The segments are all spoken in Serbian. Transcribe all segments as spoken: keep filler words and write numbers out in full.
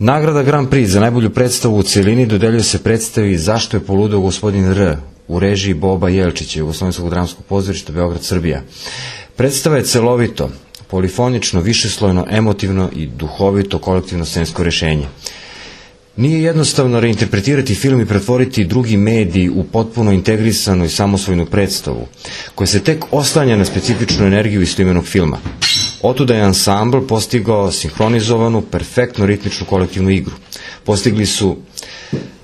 Nagrada Grand Prix za najbolju predstavu u celini dodeljuje se predstavi Zašto je poludeo gospodin R u režiji Boba Jelčića, Jugoslovenskog dramskog pozorišta Beograd, Srbija. Predstava je celovito, polifonično, višeslojno, emotivno i duhovito kolektivno scensko rešenje. Nije jednostavno reinterpretirati film i pretvoriti drugi medij u potpuno integrisanu i samosvojnu predstavu, koja se tek oslanja na specifičnu energiju istoimenog filma. Otuda je ansambl postigao sinhronizovanu, perfektno ritmičnu kolektivnu igru. Postigli su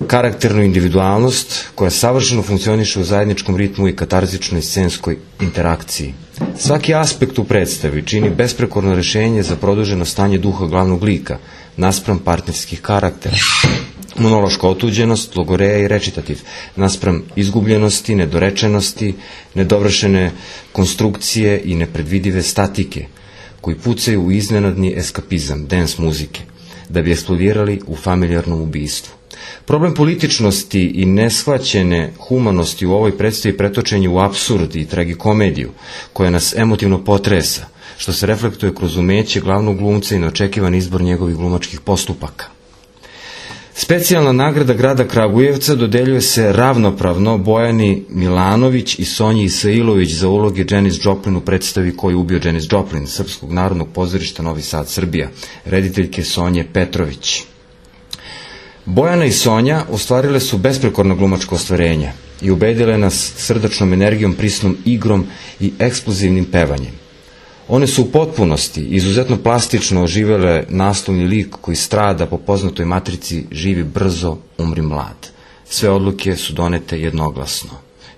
karakternu individualnost koja savršeno funkcioniše u zajedničkom ritmu i katarzičnoj scenskoj interakciji. Svaki aspekt u predstavi čini besprekorno rešenje za produženo stanje duha glavnog lika, naspram partnerskih karaktera. Monološka otuđenost, logoreja i recitativ, naspram izgubljenosti, nedorečenosti, nedovršene konstrukcije i nepredvidive statike, koji pucaju u iznenadni eskapizam, dance muzike, da bi eksplodirali u familijarnom ubistvu. Problem političnosti i neshvaćene humanosti u ovoj predstavi pretočen je u apsurd i tragikomediju, koja nas emotivno potresa, što se reflektuje kroz umeće glavnog glumca i neočekivan izbor njegovih glumačkih postupaka. Specijalna nagrada grada Kragujevca dodeljuje se ravnopravno Bojani Milanović i Sonji Isailović za uloge Janis Joplin u predstavi Ko je ubio Janis Joplin, Srpskog narodnog pozorišta Novi Sad, Srbija, rediteljke Sonje Petrović. Bojana i Sonja ostvarile su besprekorno glumačko ostvarenje i ubedile nas srdačnom energijom, prisnom igrom i eksplozivnim pevanjem. One su u potpunosti, izuzetno plastično oživele naslovni lik koji strada po poznatoj matrici Živi brzo, umri mlad. Sve odluke su donete jednoglasno.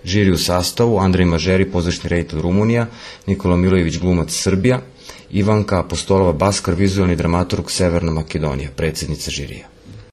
Žiri u sastavu: Andrej Mažeri, pozorišni reditelj, Rumunija; Nikola Milojević, glumac, Srbija; Ivanka Apostolova Baskar, vizuelni dramaturg, Severna Makedonija, predsjednica žirija.